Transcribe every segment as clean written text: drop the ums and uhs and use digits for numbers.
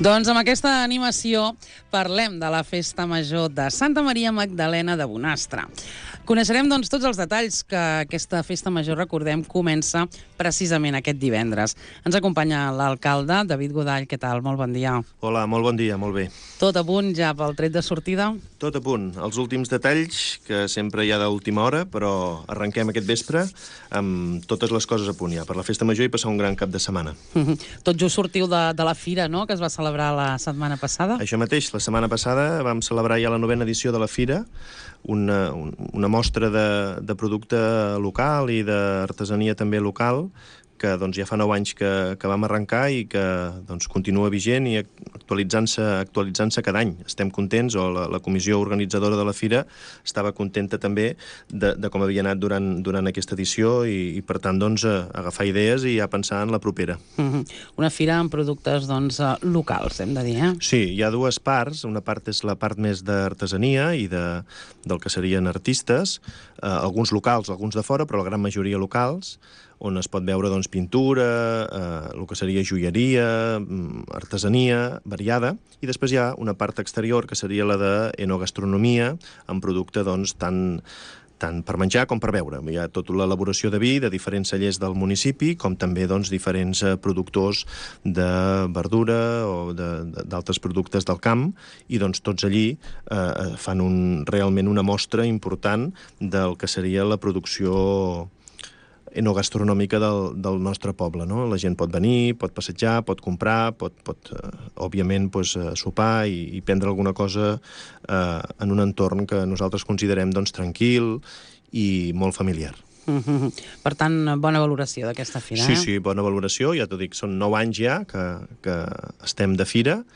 Doncs amb aquesta animació parlem de la Festa Major de Santa Maria Magdalena de Bonastre. Coneixerem doncs, tots els detalls que aquesta Festa Major, recordem, comença precisament aquest divendres. Ens acompanya l'alcalde, David Godall. Què tal? Molt bon dia. Hola, molt bon dia, molt bé. Tot a punt ja pel tret de sortida? Tot a punt. Els últims detalls, que sempre hi ha d'última hora, però arrenquem aquest vespre amb totes les coses a punt ja, per la Festa Major i passar un gran cap de setmana. Tot just sortiu de la fira, no?, que es va celebrar la setmana passada. Això mateix, la setmana passada vam celebrar ja la 9ª edició de la fira, una mostra de producte local i d'artesania també local, que doncs, ja fa 9 anys que vam arrencar i que doncs, continua vigent i actualitzant-se cada any. Estem contents, o la comissió organitzadora de la fira estava contenta també de com havia anat durant aquesta edició i per tant, doncs, agafar idees i ja pensar en la propera. Una fira amb productes doncs, locals, hem de dir, eh? Sí, hi ha dues parts. Una part és la part més d'artesania i del que serien artistes, alguns locals, alguns de fora, però la gran majoria locals, on es pot veure doncs, pintura, el que seria joieria, artesania variada, i després hi ha una part exterior, que seria la d'enogastronomia, amb producte doncs, tant per menjar com per beure. Hi ha tota l'elaboració de vi de diferents cellers del municipi, com també doncs, diferents productors de verdura o d'altres productes del camp, i doncs, tots allí fan realment una mostra important del que seria la producció enogastronòmica del nostre poble, no? La gent pot venir, pot passejar, pot comprar, pot òbviament, sopar i prendre alguna cosa en un entorn que nosaltres considerem doncs, tranquil i molt familiar. Per tant, bona valoració d'aquesta fira, eh? Sí, bona valoració. Ja t'ho dic, són 9 anys ja que estem de fira,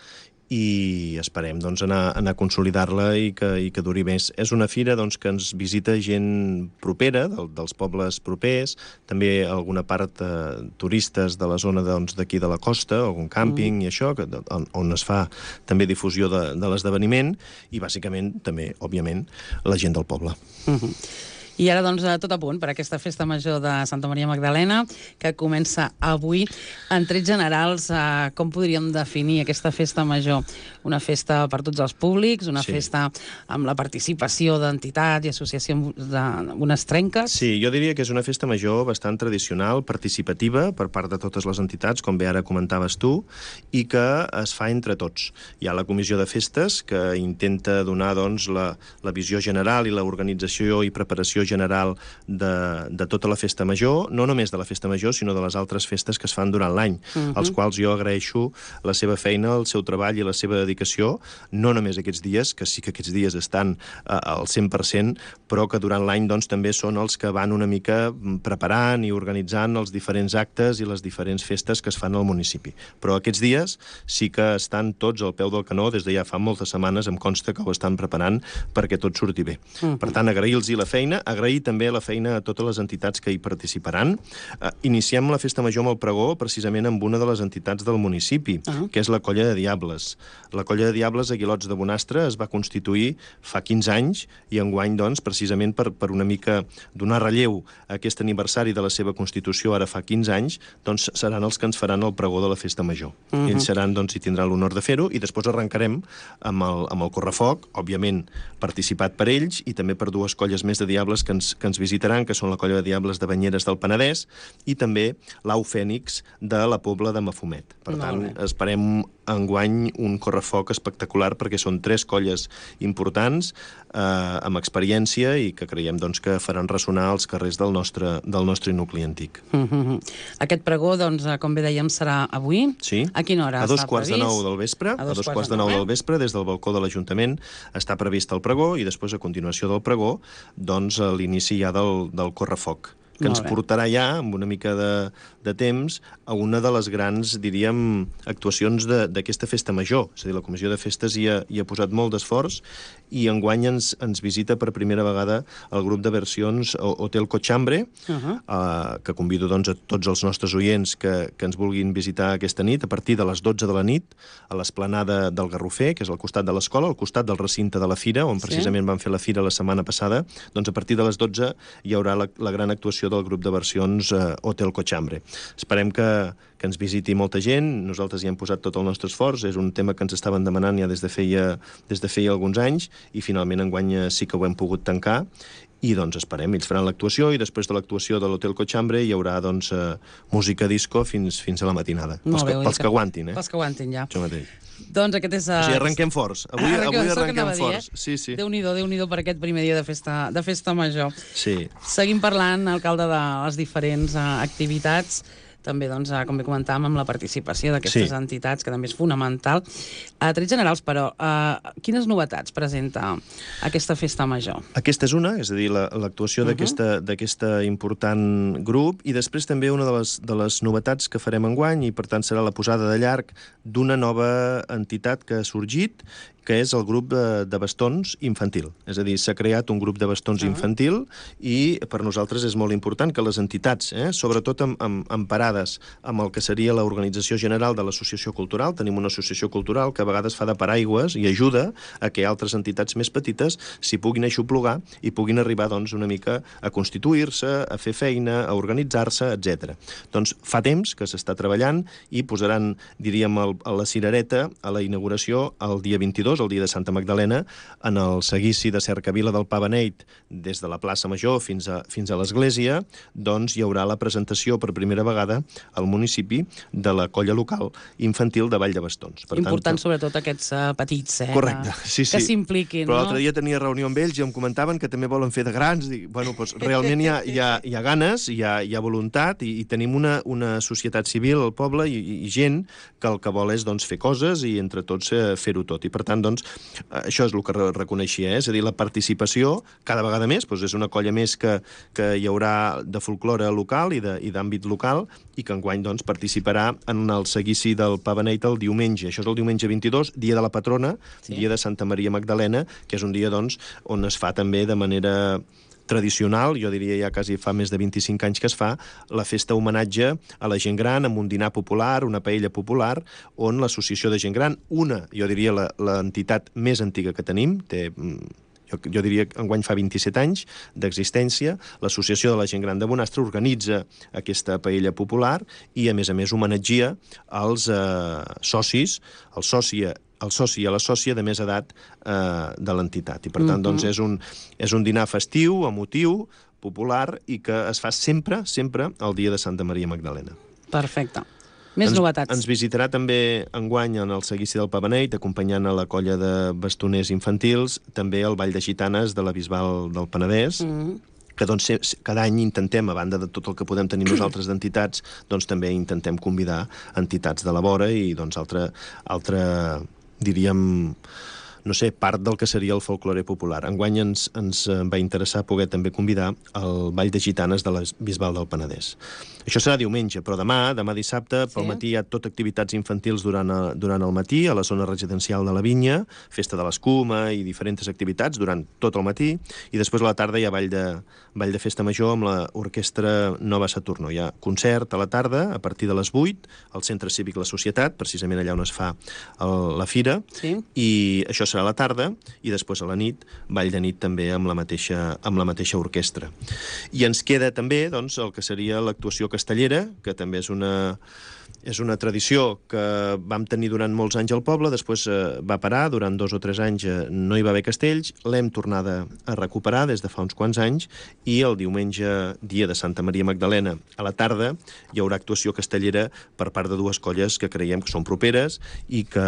i esperem doncs, anar a consolidar-la i que duri més. És una fira doncs, que ens visita gent propera, dels pobles propers, també alguna part turistes de la zona d'aquí de la costa, algun càmping i això, on es fa també difusió de l'esdeveniment, i bàsicament també, òbviament, la gent del poble. I ara, doncs, tot a punt per aquesta Festa Major de Santa Maria Magdalena, que comença avui. En trets generals, com podríem definir aquesta Festa Major? Una festa per tots els públics, una festa amb la participació d'entitats i associacions bonastrenques? Sí, jo diria que és una festa major bastant tradicional, participativa, per part de totes les entitats, com bé ara comentaves tu, i que es fa entre tots. Hi ha la comissió de festes, que intenta donar doncs, la visió general i l'organització i preparació general de tota la festa major, no només de la festa major, sinó de les altres festes que es fan durant l'any, als quals jo agraeixo la seva feina, el seu treball i la seva dedicació, no només aquests dies, que sí que aquests dies estan al 100%, però que durant l'any doncs, també són els que van una mica preparant i organitzant els diferents actes i les diferents festes que es fan al municipi. Però aquests dies sí que estan tots al peu del canó, des de ja fa moltes setmanes, em consta que ho estan preparant perquè tot surti bé. Per tant, agrair-los la feina, agrair també la feina a totes les entitats que hi participaran. Iniciem la Festa Major amb el pregó precisament amb una de les entitats del municipi, que és la Colla de Diables. La Colla de Diables a Guilots de Bonastre es va constituir fa 15 anys i enguany, doncs, precisament per una mica donar relleu a aquest aniversari de la seva constitució ara fa 15 anys, doncs seran els que ens faran el pregó de la Festa Major. Ells seran, doncs, i tindran l'honor de fer-ho, i després arrencarem amb el correfoc, òbviament participat per ells i també per dues colles més de diables que ens visitaran, que són la Colla de Diables de Banyeres del Penedès i també l'Au Fènix de la Pobla de Mafumet. Per tant, esperem enguany un correfoc espectacular perquè són 3 colles importants amb experiència i que creiem doncs, que faran ressonar els carrers del nostre nucli antic. Aquest pregó, doncs, com bé dèiem, serà avui? Sí. A quina hora? A 2:45 del vespre. A 2:45 del vespre, des del balcó de l'Ajuntament, està previst el pregó i després, a continuació del pregó, doncs, l'inici ja del correfoc, que ens portarà ja, amb una mica de temps, a una de les grans, diríem, actuacions d'aquesta festa major. És a dir, la Comissió de Festes hi ha posat molt d'esforç i enguany ens visita per primera vegada el grup de versions Hotel Cochambre, que convido doncs, a tots els nostres oients que ens vulguin visitar aquesta nit, a partir de les 12 de la nit, a l'esplanada del Garrofer, que és al costat de l'escola, al costat del recinte de la fira, on precisament van fer la fira la setmana passada. Doncs a partir de les 12 hi haurà la gran actuació l'actuació del grup de versions Hotel Cochambre. Esperem que ens visiti molta gent, nosaltres hi hem posat tot el nostre esforç, és un tema que ens estaven demanant ja des de feia alguns anys, i finalment enguany sí que ho hem pogut tancar, i doncs esperem, ells faran l'actuació i després de l'actuació de l'Hotel Cochambre hi haurà doncs música disco fins a la matinada. Pels que aguantin, Pels que aguantin, ja. Això mateix. Doncs aquest és... O sigui, arrenquem forts. Avui arrenquem forts. Sí, sí. Déu-n'hi-do per aquest primer dia de festa major. Sí. Seguim parlant, alcalde, de les diferents activitats, també, doncs, com bé comentàvem, amb la participació d'aquestes entitats, que també és fonamental. A trets generals, però, quines novetats presenta aquesta festa major? Aquesta és una, és a dir, l'actuació d'aquest important grup, i després també una de les novetats que farem enguany, i per tant serà la posada de llarg d'una nova entitat que ha sorgit, que és el grup de bastons infantil. És a dir, s'ha creat un grup de bastons infantil, i per nosaltres és molt important que les entitats, sobretot emparades amb el que seria l'organització general de l'associació cultural, tenim una associació cultural que a vegades fa de paraigües i ajuda a que altres entitats més petites s'hi puguin aixoplugar i puguin arribar doncs, una mica a constituir-se, a fer feina, a organitzar-se, etc. Doncs fa temps que s'està treballant i posaran, diríem, a la cirereta a la inauguració el dia 22, el dia de Santa Magdalena, en el seguici de Cercavila del Pa Beneit, des de la plaça Major fins a l'església, doncs hi haurà la presentació per primera vegada al municipi de la colla local infantil de Vall de Bastons. Important, sobretot, aquests petits, correcte, sí. Que s'impliquin. Però l'altre dia tenia reunió amb ells i em comentaven que també volen fer de grans. Dic, bueno, doncs realment hi ha ganes, hi ha voluntat, i tenim una societat civil al poble i gent que el que vol és doncs, fer coses i entre tots fer-ho tot. I per tant, doncs, això és el que reconeixia, és a dir, la participació cada vegada més, doncs és una colla més que hi haurà de folklore local i d'àmbit local, i que enguany doncs, participarà en el seguici del Pa Beneit el diumenge. Això és el diumenge 22, dia de la patrona, dia de Santa Maria Magdalena, que és un dia doncs, on es fa també de manera tradicional, jo diria ja quasi fa més de 25 anys que es fa, la festa homenatge a la gent gran, amb un dinar popular, una paella popular, on l'associació de gent gran, jo diria l'entitat més antiga que tenim, jo diria que enguany fa 27 anys d'existència, l'Associació de la Gent Gran de Bonastre organitza aquesta paella popular i, a més, homenatgia als socis, el soci i a la sòcia de més edat de l'entitat. I, per tant, doncs, és un dinar festiu, emotiu, popular, i que es fa sempre el dia de Santa Maria Magdalena. Perfecte. Més novetats. Ens visitarà també enguany en el seguici del Pa Beneit, acompanyant a la colla de bastoners infantils, també el Ball de Gitanes de la Bisbal del Penedès, que doncs, cada any intentem, a banda de tot el que podem tenir nosaltres d'entitats, doncs també intentem convidar entitats de la vora i doncs altra diríem, no sé, part del que seria el folklore popular. Enguany ens va interessar poder també convidar el Ball de Gitanes de la Bisbal del Penedès. Això serà diumenge, però demà dissabte, pel matí hi ha tot activitats infantils durant el matí, a la zona residencial de la Vinya, festa de l'escuma i diferents activitats durant tot el matí, i després a la tarda hi ha ball de festa major amb l'orquestra Nova Saturno. Hi ha concert a la tarda, a partir de les 8, al Centre Cívic La Societat, precisament allà on es fa la fira, i això serà a la tarda, i després a la nit, ball de nit també amb la mateixa orquestra. I ens queda també doncs, el que seria l'actuació castellera, que també és una tradició que vam tenir durant molts anys al poble, després va parar, durant 2 o 3 anys no hi va haver castells, l'hem tornada a recuperar des de fa uns quants anys, i el diumenge, dia de Santa Maria Magdalena, a la tarda, hi haurà actuació castellera per part de 2 colles que creiem que són properes i que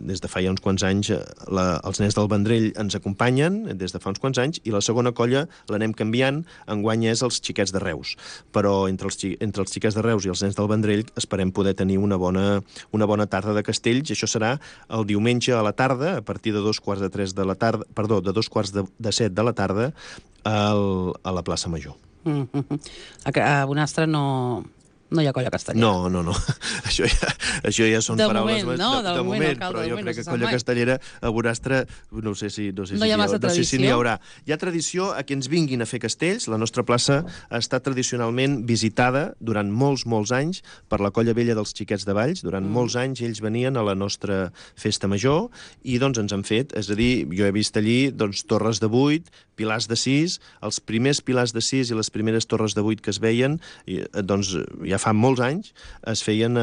des de fa ja uns quants anys els nens del Vendrell ens acompanyen, des de fa uns quants anys, i la segona colla l'anem canviant, enguany és els xiquets de Reus. Però entre els xiquets de Reus i els nens del Vendrell esperem poder tenir una bona tarda de castells. Això serà el diumenge a la tarda, a partir de 2:15 de la tarda, perdó, de 6:45 de la tarda, a la plaça Major. A Bonastre no No hi ha colla castellera. No. Això ja són paraules... De moment, però jo crec que colla mai. castellera a Bonastre no sé si No hi ha massa tradició. No sé si n'hi haurà. Hi ha tradició a que ens vinguin a fer castells. La nostra plaça ha estat tradicionalment visitada durant molts anys per la colla vella dels Xiquets de Valls. Durant molts anys ells venien a la nostra festa major i doncs ens han fet, és a dir, jo he vist allí doncs, torres de 8, pilars de 6, els primers pilars de 6 i les primeres torres de 8 que es veien, doncs ja fa molts anys, es feien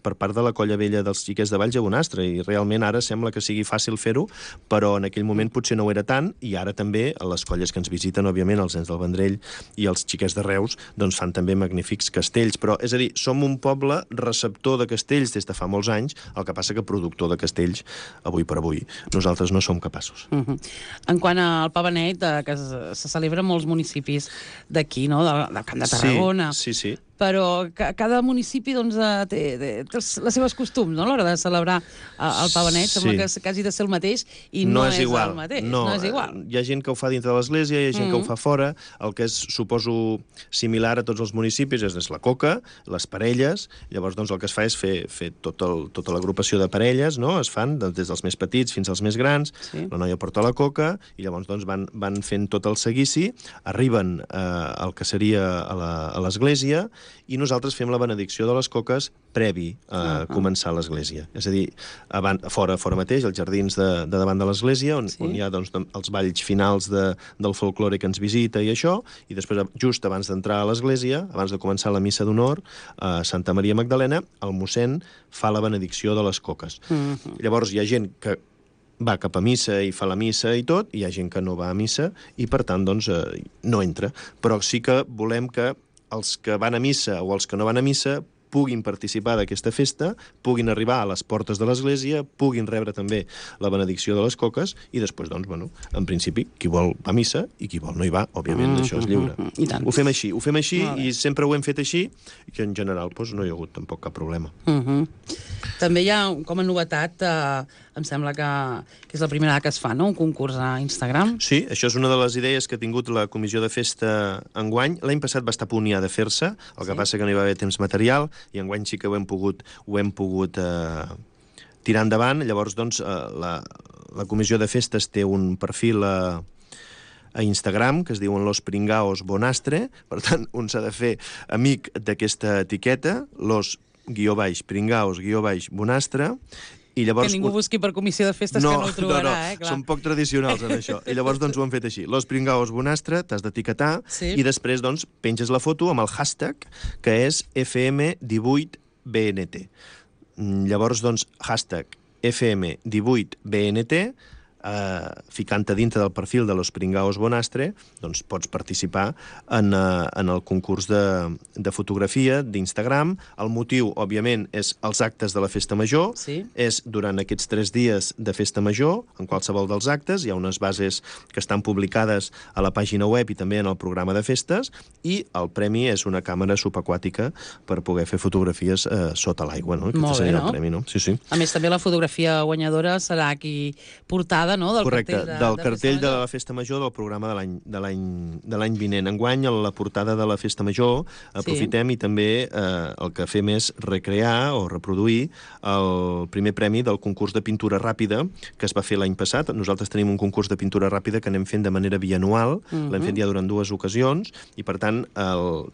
per part de la colla vella dels Xiquets de Valls a Bonastre, i realment ara sembla que sigui fàcil fer-ho, però en aquell moment potser no ho era tant, i ara també les colles que ens visiten, òbviament, els nens del Vendrell i els Xiquets de Reus, doncs fan també magnífics castells. Però, és a dir, som un poble receptor de castells des de fa molts anys, el que passa que productor de castells, avui per avui, nosaltres no som capaços. En quant al Pa Benet, que se celebra en molts municipis d'aquí, no? Del Camp de Tarragona. Sí. Però cada municipi doncs, té les seves costums, no?, a l'hora de celebrar el Pa Benet. Sembla que quasi de ser el mateix i no és igual. El mateix. No és igual. Hi ha gent que ho fa dintre de l'església, hi ha gent que ho fa fora. El que és, suposo, similar a tots els municipis és la coca, les parelles. Llavors, doncs, el que es fa és fer tota l'agrupació de parelles, no? Es fan des dels més petits fins als més grans. La noia porta la coca i llavors doncs, van fent tot el seguici, arriben al que seria a l'església i nosaltres fem la benedicció de les coques previ a començar l'església. És a dir, fora mateix, als jardins de davant de l'església, on hi ha doncs, els balls finals del folklore que ens visita i això, i després, just abans d'entrar a l'església, abans de començar la missa d'honor, a Santa Maria Magdalena, el mossèn fa la benedicció de les coques. Llavors hi ha gent que va cap a missa i fa la missa i tot, i hi ha gent que no va a missa i, per tant, doncs, no entra. Però sí que volem que els que van a missa o els que no van a missa puguin participar d'aquesta festa, puguin arribar a les portes de l'església, puguin rebre també la benedicció de les coques i després, doncs, bueno, en principi, qui vol va a missa i qui vol no hi va, òbviament, això és lliure. Ho fem així i sempre ho hem fet així i en general doncs, no hi ha hagut tampoc cap problema. També hi ha, com a novetat, em sembla que és la primera que es fa, no?, un concurs a Instagram. Sí, això és una de les idees que ha tingut la comissió de festa enguany. L'any passat va estar a punt ja de fer-se, el que passa que no hi va haver temps material, i enguany sí que ho hem pogut tirar endavant. Llavors, doncs, la comissió de festes té un perfil a Instagram, que es diuen Los Pringaos Bonastre, per tant, un s'ha de fer amic d'aquesta etiqueta, los_pringaos_bonastre, i llavors... Que ningú busqui per comissió de festes, que no ho trobarà, clar. Són poc tradicionals en això. I llavors, doncs, ho han fet així. Los Pringaos Bonastre, t'has d'etiquetar, i després, doncs, penges la foto amb el hashtag, que és FM18BNT. Llavors, doncs, hashtag FM18BNT, ficant-te dintre del perfil de Los Pringaos Bonastre, doncs pots participar en el concurs de fotografia d'Instagram. El motiu, òbviament, és els actes de la Festa Major. És durant aquests 3 dies de Festa Major, en qualsevol dels actes. Hi ha unes bases que estan publicades a la pàgina web i també en el programa de festes, i el premi és una càmera subaquàtica per poder fer fotografies sota l'aigua. Molt bé, no? El premi, no? Sí. A més, també la fotografia guanyadora serà aquí portada, no?, del cartell de la Festa Major del programa de l'any vinent. Enguany, a la portada de la Festa Major, aprofitem i també el que fem és recrear o reproduir el primer premi del concurs de pintura ràpida que es va fer l'any passat. Nosaltres tenim un concurs de pintura ràpida que anem fent de manera bianual, l'hem fet ja durant 2 ocasions, i per tant,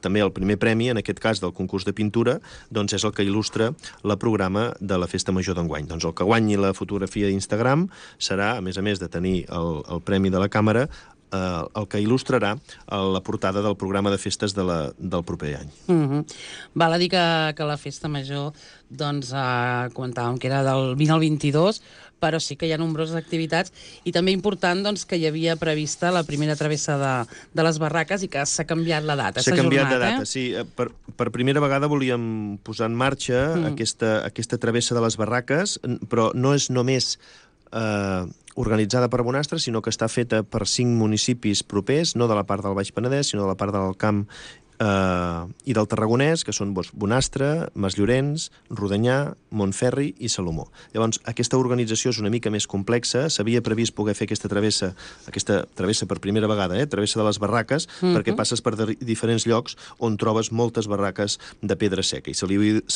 també el primer premi, en aquest cas del concurs de pintura, doncs és el que il·lustra el programa de la Festa Major d'enguany. Doncs el que guanyi la fotografia d'Instagram serà, a més de tenir el premi de la càmera, el que il·lustrarà la portada del programa de festes del proper any. Val a dir que la Festa Major, doncs, comentàvem que era del 20 al 22, però sí que hi ha nombroses activitats, i també important, doncs, que hi havia prevista la primera travessa de les barraques i que s'ha canviat la data. S'ha canviat de data, sí. Per primera vegada volíem posar en marxa aquesta travessa de les barraques, però no és només organitzada per Bonastre, sinó que està feta per 5 municipis propers, no de la part del Baix Penedès, sinó de la part del Camp i del Tarragonès, que són Bonastre, Masllorenç, Rodonyà, Montferri i Salomó. Llavors, aquesta organització és una mica més complexa. S'havia previst poder fer aquesta travessa per primera vegada, travessa de les barraques, perquè passes per diferents llocs on trobes moltes barraques de pedra seca, i se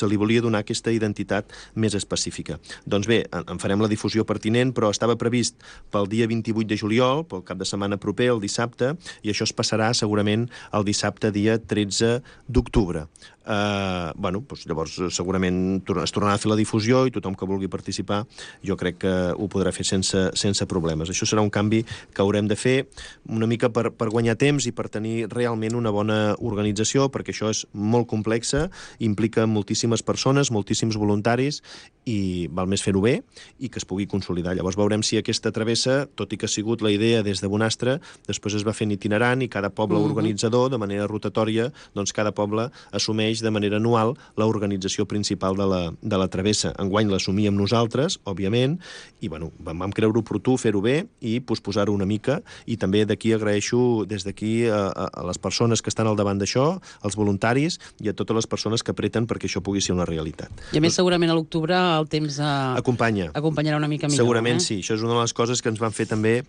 li volia donar aquesta identitat més específica. Doncs bé, en farem la difusió pertinent, però estava previst pel dia 28 de juliol, pel cap de setmana proper, el dissabte, i això es passarà segurament el dissabte dia 13 d'octubre. Llavors segurament es tornarà a fer la difusió i tothom que vulgui participar jo crec que ho podrà fer sense problemes. Això serà un canvi que haurem de fer una mica per guanyar temps i per tenir realment una bona organització, perquè això és molt complexa, implica moltíssimes persones, moltíssims voluntaris, i val més fer-ho bé i que es pugui consolidar. Llavors veurem si aquesta travessa, tot i que ha sigut la idea des de Bonastre, després es va fent itinerant i cada poble organitzador, de manera rotatòria, doncs cada poble assumeix de manera anual l'organització principal de la travessa. Enguany l'assumíem nosaltres, òbviament, i vam creure oportú fer-ho bé i posposar-ho una mica, i també d'aquí agraeixo des d'aquí a les persones que estan al davant d'això, als voluntaris i a totes les persones que apreten perquè això pugui ser una realitat. I a més segurament a l'octubre el temps acompanyarà una mica millor. Segurament sí, això és una de les coses que ens van fer també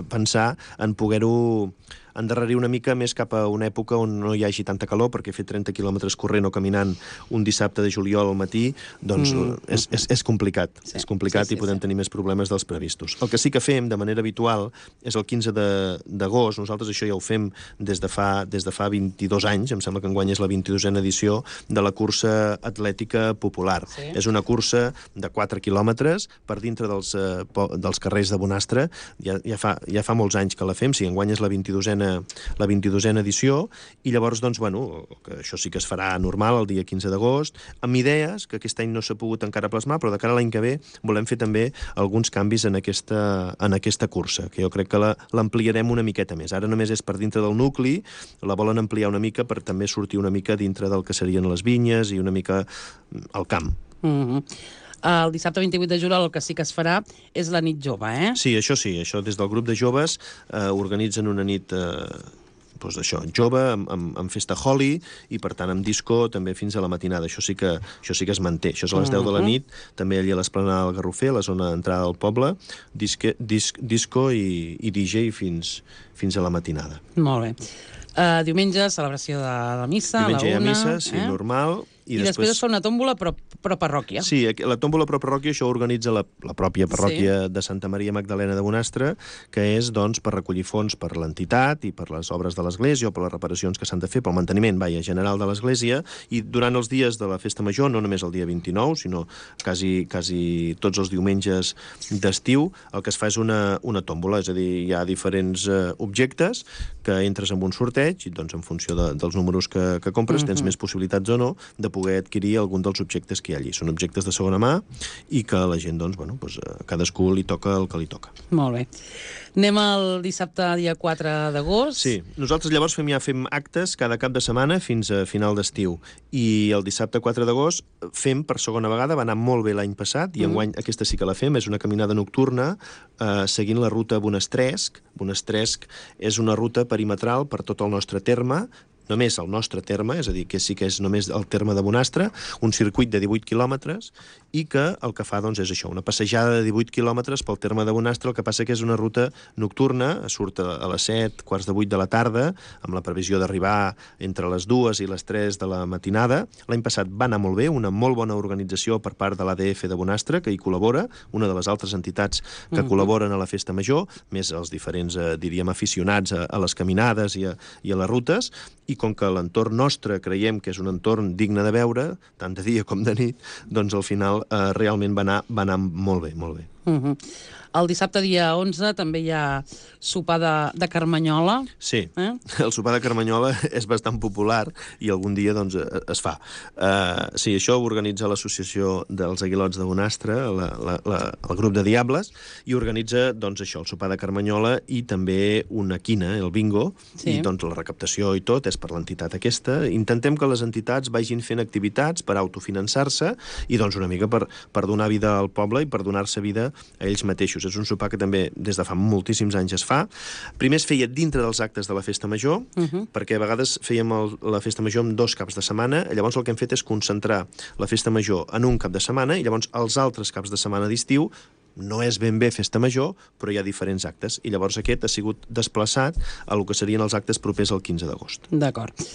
pensar en poder-ho endarrerir una mica més cap a una època on no hi hagi tanta calor, perquè fer 30 quilòmetres corrent o caminant un dissabte de juliol al matí, doncs és complicat. És complicat i podem tenir més problemes dels previstos. El que sí que fem de manera habitual és el 15 d'agost. Nosaltres això ja ho fem des de fa 22 anys, em sembla que enguany és la 22a edició de la cursa atlètica popular. És una cursa de 4 quilòmetres per dintre dels carrers de Bonastre. Ja fa molts anys que la fem, enguany és la 22a edició, i llavors, doncs, que això sí que es farà normal el dia 15 d'agost, amb idees que aquest any no s'ha pogut encara plasmar, però de cara a l'any que ve volem fer també alguns canvis en aquesta cursa, que jo crec que l'ampliarem una miqueta més. Ara només és per dintre del nucli, la volen ampliar una mica per també sortir una mica dintre del que serien les vinyes i una mica al camp. El dissabte 28 de juliol el que sí que es farà és la nit jove, Sí, això des del grup de joves organitzen una nit jove, amb festa Holi, i per tant amb disco també fins a la matinada. Això sí que es manté. Això és a les 10 de la nit, també allà a l'esplanada del Garrofer, a la zona d'entrada del poble, disco i DJ fins a la matinada. Molt bé. Diumenge, celebració de la missa, a la 1. Diumenge hi ha missa, sí, normal. I després es fa una tòmbola pro parròquia. Sí, la tòmbola pro parròquia això organitza la pròpia parròquia de Santa Maria Magdalena de Bonastre, que és, doncs, per recollir fons per l'entitat i per les obres de l'església o per les reparacions que s'han de fer, pel manteniment, general de l'església, i durant els dies de la festa major, no només el dia 29, sinó quasi tots els diumenges d'estiu, el que es fa és una tòmbola, és a dir, hi ha diferents objectes que entres en un sorteig i, doncs, en funció dels números que compres, tens més possibilitats o no de poder adquirir algun dels objectes que hi ha allí. Són objectes de segona mà i que la gent, doncs, cadascú li toca el que li toca. Molt bé. Anem al dissabte, dia 4 d'agost. Sí, nosaltres llavors fem actes cada cap de setmana fins a final d'estiu. I el dissabte 4 d'agost fem per segona vegada, va anar molt bé l'any passat, i enguany aquesta sí que la fem, és una caminada nocturna seguint la ruta Bonestresc. Bonestresc és una ruta perimetral per tot el nostre terme, només el nostre terme, és a dir, que sí que és només el terme de Bonastre, un circuit de 18 quilòmetres, i que el que fa, doncs, és això, una passejada de 18 quilòmetres pel terme de Bonastre. El que passa que és una ruta nocturna, surt a les 7, quarts de 8 de la tarda, amb la previsió d'arribar entre les 2 i les 3 de la matinada. L'any passat va anar molt bé, una molt bona organització per part de l'ADF de Bonastre, que hi col·labora, una de les altres entitats que col·laboren a la festa major, més els diferents, diríem, aficionats a les caminades i a les rutes, i com que l'entorn nostre creiem que és un entorn digne de veure, tant de dia com de nit, doncs al final realment va anar molt bé, molt bé. El dissabte, dia 11, també hi ha sopar de Carmanyola. Sí, el sopar de Carmanyola és bastant popular i algun dia, doncs, es fa. Sí, això ho organitza l'Associació dels Aguilots de Bonastre, el grup de Diables, i organitza, doncs, això, el sopar de Carmanyola i també una quina, el bingo, i doncs la recaptació i tot és per l'entitat aquesta. Intentem que les entitats vagin fent activitats per autofinançar-se i, doncs, una mica per donar vida al poble i per donar-se vida a ells mateixos. és un sopar que també des de fa moltíssims anys es fa. Primer es feia dintre dels actes de la Festa Major, perquè a vegades fèiem la Festa Major en 2 caps de setmana, llavors el que hem fet és concentrar la Festa Major en un cap de setmana, i llavors els altres caps de setmana d'estiu no és ben bé Festa Major, però hi ha diferents actes, i llavors aquest ha sigut desplaçat a el que serien els actes propers al 15 d'agost. D'acord.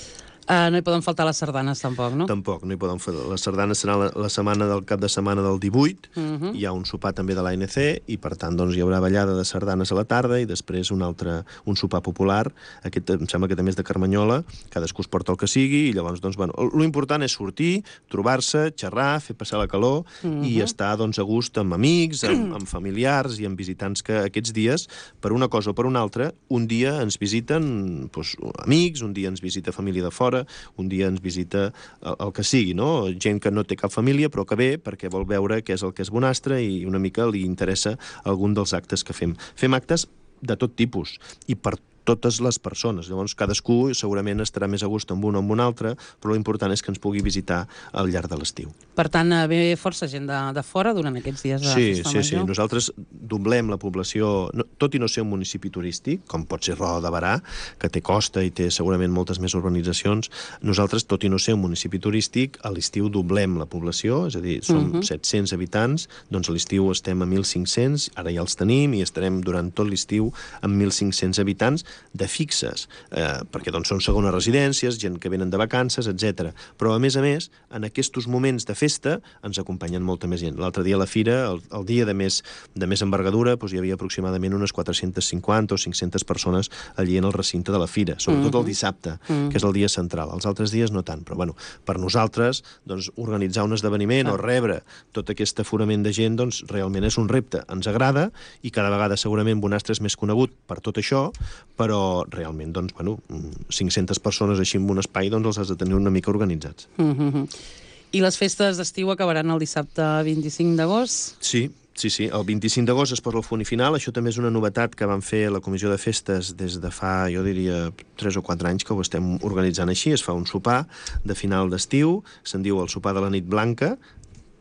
No hi poden faltar les sardanes, tampoc, no? Tampoc, no hi poden faltar. Les sardanes serà la setmana del cap de setmana del 18, hi ha un sopar també de l'ANC, i per tant doncs, hi haurà ballada de sardanes a la tarda, i després un sopar popular. Aquest em sembla que també és de Carmanyola, cadascú es porta el que sigui, i llavors, doncs, bueno, l'important és sortir, trobar-se, xerrar, fer passar la calor, i estar, doncs, a gust amb amics, amb familiars i amb visitants que aquests dies, per una cosa o per una altra, un dia ens visiten doncs, amics, un dia ens visita família de fora, un dia ens visita el que sigui, no? Gent que no té cap família, però que ve perquè vol veure què és el que és bonastre i una mica li interessa algun dels actes que fem. Fem actes de tot tipus i per totes les persones. Llavors, cadascú segurament estarà més a gust amb un o amb un altre, però l'important és que ens pugui visitar al llarg de l'estiu. Per tant, ve força gent de fora durant aquests dies de Festa Major? Sí. Nosaltres doblem la població, tot i no ser un municipi turístic, com pot ser Roda de Barà, que té costa i té segurament moltes més urbanitzacions. Nosaltres, tot i no ser un municipi turístic, a l'estiu doblem la població, és a dir, som 700 habitants, doncs a l'estiu estem a 1.500, ara ja els tenim i estarem durant tot l'estiu amb 1.500 habitants, de fixes, perquè doncs, són segones residències, gent que venen de vacances, etc. Però, a més, en aquests moments de festa ens acompanyen molta més gent. L'altre dia a la fira, el dia de més envergadura, doncs, hi havia aproximadament unes 450 o 500 persones allí en el recinte de la fira, sobretot el dissabte, que és el dia central. Els altres dies no tant, però bueno, per nosaltres doncs, organitzar un esdeveniment o rebre tot aquest aforament de gent doncs, realment és un repte. Ens agrada i cada vegada segurament Bonastre és més conegut per tot això, però realment, doncs, bueno, 500 persones així en un espai, doncs els has de tenir una mica organitzats. I les festes d'estiu acabaran el dissabte 25 d'agost? Sí, el 25 d'agost es posa el punt final. Això també és una novetat que van fer la Comissió de Festes des de fa, jo diria, 3 o 4 anys que ho estem organitzant així. Es fa un sopar de final d'estiu, se'n diu el sopar de la nit blanca,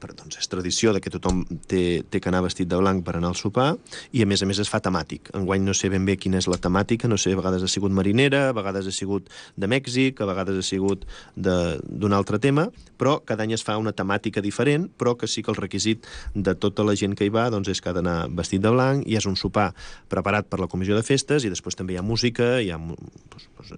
doncs és tradició que tothom té que anar vestit de blanc per anar al sopar, i a més es fa temàtic. Enguany no sé ben bé quina és la temàtica, no sé, a vegades ha sigut marinera, a vegades ha sigut de Mèxic, a vegades ha sigut d'un altre tema, però cada any es fa una temàtica diferent, però que sí que el requisit de tota la gent que hi va doncs és que ha d'anar vestit de blanc, i és un sopar preparat per la Comissió de Festes, i després també hi ha música, hi ha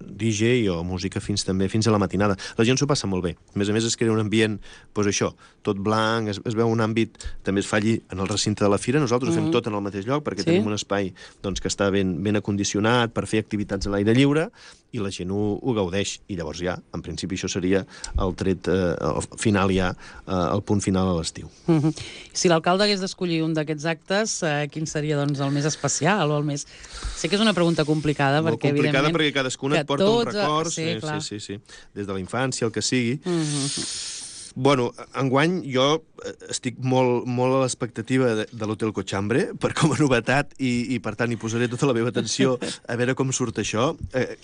DJ o música fins a la matinada. La gent s'ho passa molt bé. A més es crea un ambient, doncs això, tot blanc, es veu un àmbit, també es fa allí en el recinte de la fira. Nosaltres ho fem tot en el mateix lloc perquè tenim un espai doncs, que està ben acondicionat per fer activitats a l'aire lliure, i la gent ho gaudeix, i llavors ja, en principi això seria el tret final ja, el punt final a l'estiu. Si l'alcalde hagués d'escollir un d'aquests actes, quin seria doncs, el més especial o el més... Sé que és una pregunta complicada, molt perquè complicada perquè cadascuna et porta un record, sí, des de la infància, el que sigui. Bueno, enguany jo estic molt a l'expectativa de l'Hotel Cochambre, com a novetat, i per tant hi posaré tota la meva atenció a veure com surt això.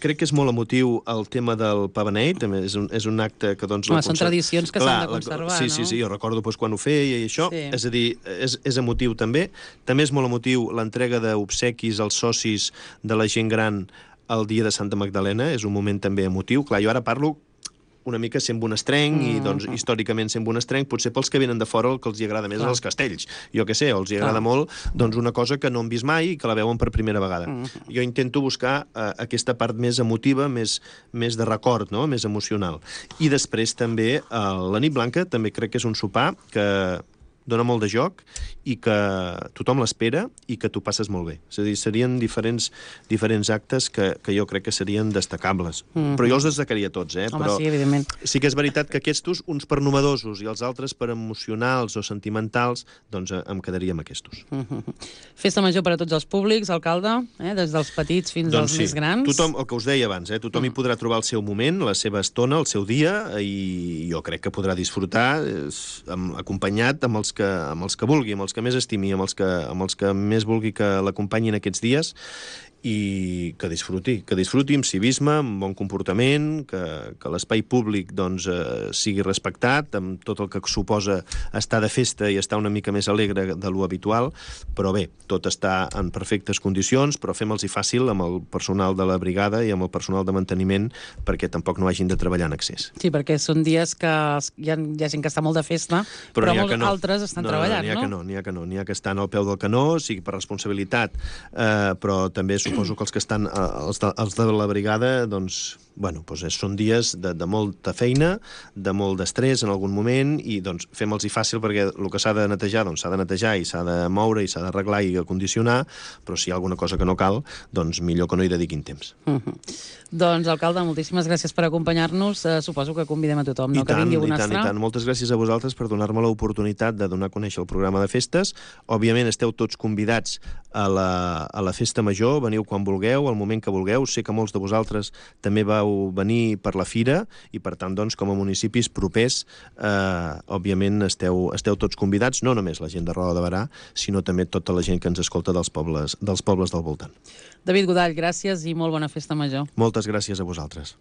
Crec que és molt emotiu el tema del Pavaneit, és un acte que... Són tradicions que s'han de conservar, no? Sí, jo recordo quan ho feia i això, és a dir, és emotiu també. També és molt emotiu l'entrega d'obsequis als socis de la gent gran el dia de Santa Magdalena, és un moment també emotiu. Clar, jo ara parlo una mica sent bonastrenc, i doncs històricament sent bonastrenc, potser pels que venen de fora el que els hi agrada més és els castells, jo què sé, els hi agrada molt doncs una cosa que no han vist mai i que la veuen per primera vegada. Jo intento buscar aquesta part més emotiva, més de record, no? Més emocional. I després també la nit blanca també crec que és un sopar que dona molt de joc i que tothom l'espera i que t'ho passes molt bé. És a dir, serien diferents actes que jo crec que serien destacables. Però jo els destacaria tots, però sí, evidentment. Sí que és veritat que aquests, uns per novedosos i els altres per emocionals o sentimentals, doncs em quedaria amb aquests. Festa major per a tots els públics, alcalde, des dels petits fins als més grans. Tothom, el que us deia abans, tothom hi podrà trobar el seu moment, la seva estona, el seu dia, i jo crec que podrà disfrutar acompanyat amb els que vulgui, amb els que més estimi, amb els que més vulgui que l'acompanyin aquests dies, i que disfruti amb civisme, amb bon comportament, que l'espai públic doncs, sigui respectat, amb tot el que suposa estar de festa i estar una mica més alegre de lo habitual, però bé, tot està en perfectes condicions, però fem-los-hi fàcil amb el personal de la brigada i amb el personal de manteniment perquè tampoc no hagin de treballar en excés. Sí, perquè són dies que hi ha gent que està molt de festa, però molts altres estan treballant, no? N'hi ha que estan al peu del canó, sigui per responsabilitat, però també suposo que els que estan, els de la brigada, doncs, bueno, doncs són dies de molta feina, de molt d'estrès en algun moment, i doncs fem-los-hi fàcil perquè el que s'ha de netejar, doncs s'ha de netejar i s'ha de moure i s'ha d'arreglar i acondicionar, però si hi ha alguna cosa que no cal, doncs millor que no hi dediquin temps. Doncs, alcalde, moltíssimes gràcies per acompanyar-nos. Suposo que convidem a tothom, no? Que vingui a Bonastre. I tant. Moltes gràcies a vosaltres per donar-me l'oportunitat de donar a conèixer el programa de festes. Òbviament esteu tots convidats a la festa major, veniu quan vulgueu, al moment que vulgueu. Sé que molts de vosaltres també vau venir per la fira i, per tant, doncs, com a municipis propers, òbviament esteu tots convidats, no només la gent de Roda de Berà, sinó també tota la gent que ens escolta dels pobles del voltant. David Godall, gràcies i molt bona festa major. Moltes gràcies a vosaltres.